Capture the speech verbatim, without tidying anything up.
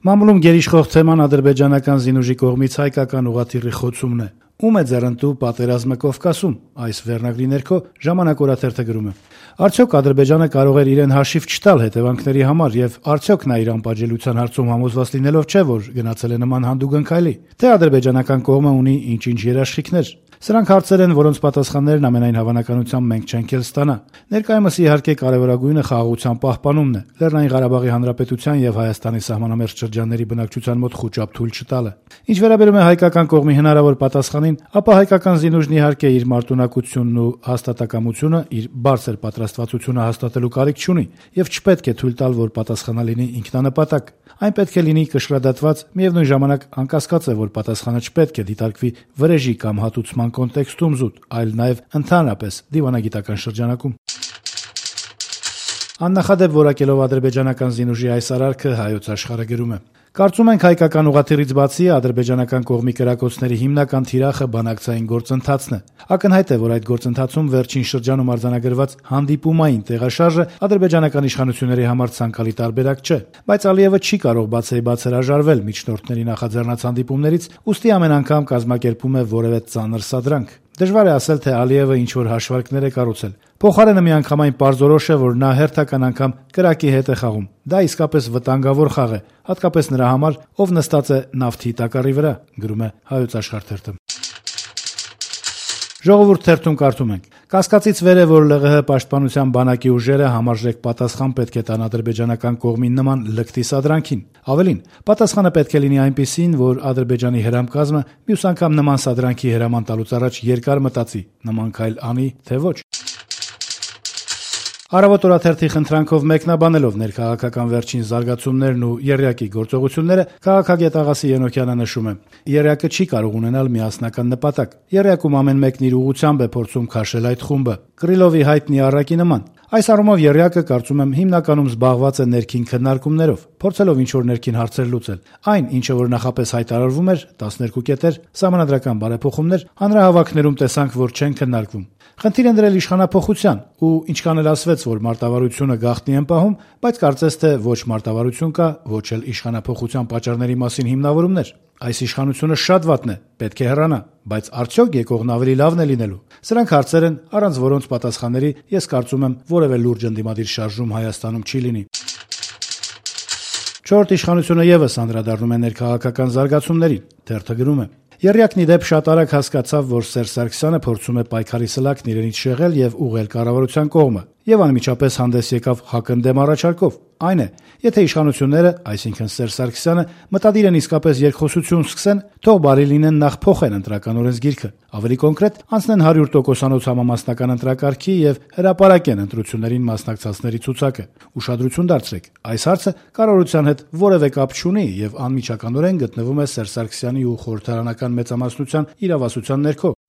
Մամուլում գերիշխող թեման ադրբեջանական զինուժի կողմից հայկական ուղղաթիռի խոցումն է։ Ում է ձեռնտու պատերազմը Կովկասում, այս վերնագրի ներքո «Ժամանակ» օրաթերթը գրում է. Արդյոք Ադրբեջանը կարող էր իրեն հաշիվ չտալ հետևանքների համար եւ արդյոք նա իր անպատժելիության հարցում համոզված լինելով չէ, որ գնացել է նման հանդուգն քայլի, թե ադրբեջանական կողմը ունի ինչ-ինչ երաշխիքներ։ Սրանք հարցեր են, որոնց պատասխաններն ամենայն հավանականությամբ մենք չենք էլ ստանա։ Ներկայումս իհարկե կարևորագույնը խաղաղության պահպանումն է, Լեռնային Ղարաբաղի Հանրապետության եւ Հայաստանի սահմանամերձ շրջանների բնակչության մոտ խուճապ թույլ չտալը։ Ինչ վերաբերում է հայկական կողմի հնարավոր պատասխանին, ապա հայկական զինուժն իհարկե իր մարտունակությունն ու հաստատակամությունը, իր բարձր պատրաստվածությունը հաստատելու կարիք չունի եւ չպետք է թույլ տալ, որ պատասխանը լինի ինքնանպատակ։ Այն պետք է լինի կշռադատված, միևնույն ժամանակ անկասկած է, որ պատասխանը չպետք է դիտարկվի վրեժի կամ հատուցման կոնտեքստում զուտ, այլ նաեւ ընդհանրապես դիվանագիտական շրջանակում։ Աննախադեպ որակելով ադրբեջանական զինուժի այս արարքը Հայոց Աշխարհը գրում է. Կարծում ենք հայկական ուղղաթիռից բացի ադրբեջանական կողմի կրակոցների հիմնական թիրախը բանակցային գործընթացն է։ Ակնհայտ է, որ այդ գործընթացում վերջին շրջանում արձանագրված հանդիպումային տեղաշարժը ադրբեջանական իշխանությունների համար ցանկալի տարբերակ չէ, բայց Ալիևը չի կարող բացեիբաց հրաժարվել միջնորդների նախաձեռնած հանդիպումներից, ուստի ամեն անգամ կազմակերպում է որևէ ծանր սադրանք։ Դժվար է ասել, թե Ալիևը ինչ-որ հաշվարկներ է կառուցել։ Փոխարենը միանգամայն պարզորոշ է, որ նա հերթական անգամ կրակի հետ է խաղում։ Դա իսկապես վտանգավոր խաղ է, հատկապես նրա համար, ով նստած է նավթի տակառի վրա, գրում է Հայոց Աշխարհ թերթը։ Ժողովուրդ թերթում կարդում ենք. Կասկածից վեր է, որ ԼՂՀ պաշտպանության բանակի ուժերը համարժեք պատասխան պետք է տան ադրբեջանական կողմին նման լկտի սադրանքին։ Ավելին, պատասխանը պետք է լինի այնպիսին, որ Ադրբեջանի հրամկազմը մյուս անգամ նման սադրանքի հրաման տալուց առաջ երկար մտածի, նման քայլ անի, թե ոչ։ Առավոտ օրաթերթի խնդրանքով մեկնաբանելով ներքաղաքական վերջին զարգացումներն ու եռյակի գործողությունները, քաղաքագետ Աղասի Ենոքյանը նշում է. Եռյակը չի կարող ունենալ միասնական նպատակ։ Եռյակում ամեն մեկն իր ուղղությամբ է փորձում քաշել այդ խումբը, Կրիլովի հայտնի առակի նման։ Այս առումով եռյակը, կարծում եմ, հիմնականում զբաղված է ներքին քննարկումներով, փորձելով ինչ-որ ներքին հարցեր լուծել։ Այն, ինչը որ նախապես հայտարարվում էր, տասներկու կետեր, սահմանադրական բարեփոխումներ, հանրահավաքներում տեսանք, որ չեն քննարկվում։ Խնդիր են դրել իշխանափոխության, ու ինչքան էլ ասվեց, որ մարտավարությունը գաղտնի են պահում, բայց կարծես թե ոչ մարտավարություն կա, ոչ էլ իշխանափոխության պատճառների մասին հիմնավորումներ։ Այս իշխանությունը շատ վատն է, պետք է հեռանա, բայց արդյոք եկողն ավելի լավն է լինելու։ Սրանք հարցեր են, առանց որոնց պատասխանների, ես կարծում եմ, որևէ լուրջ ընդդիմադիր շարժում Հայաստանում չի լինի։ Չորրորդ իշխանությունը եւս անդրադառնում է ներքաղաքական զարգացումներին, թերթը գրում է. Եռյակն ի դեպ շատ արագ հասկացավ, որ Սերժ Սարգսյանը փորձում է պայքարի սլաքն իրենից շեղել եւ ուղղել կառավարության կողմը, եւ անմիջապես հանդես եկավ հակընդդեմ առաջարկով։ Այն է, եթե իշխանությունները, այսինքն Սերժ Սարգսյանը, մտադիր են իսկապես երկխոսություն սկսեն, թող բարի լինեն նախ փոխեն ընտրական օրենսգիրքը, ավելի կոնկրետ անցնեն հարյուր տոկոսանոց համամասնական ընտրակարգի եւ հրապարակեն ընտրություններին մասնակցածների ցուցակը։ Ուշադրություն դարձրեք, այս հարցը կառավարության հետ որևէ կապ չունի եւ անմիջականորեն գտնվում է Սերժ Սարգսյանի ու խորհրդարանական մեծամասնության իրավասության ներքո։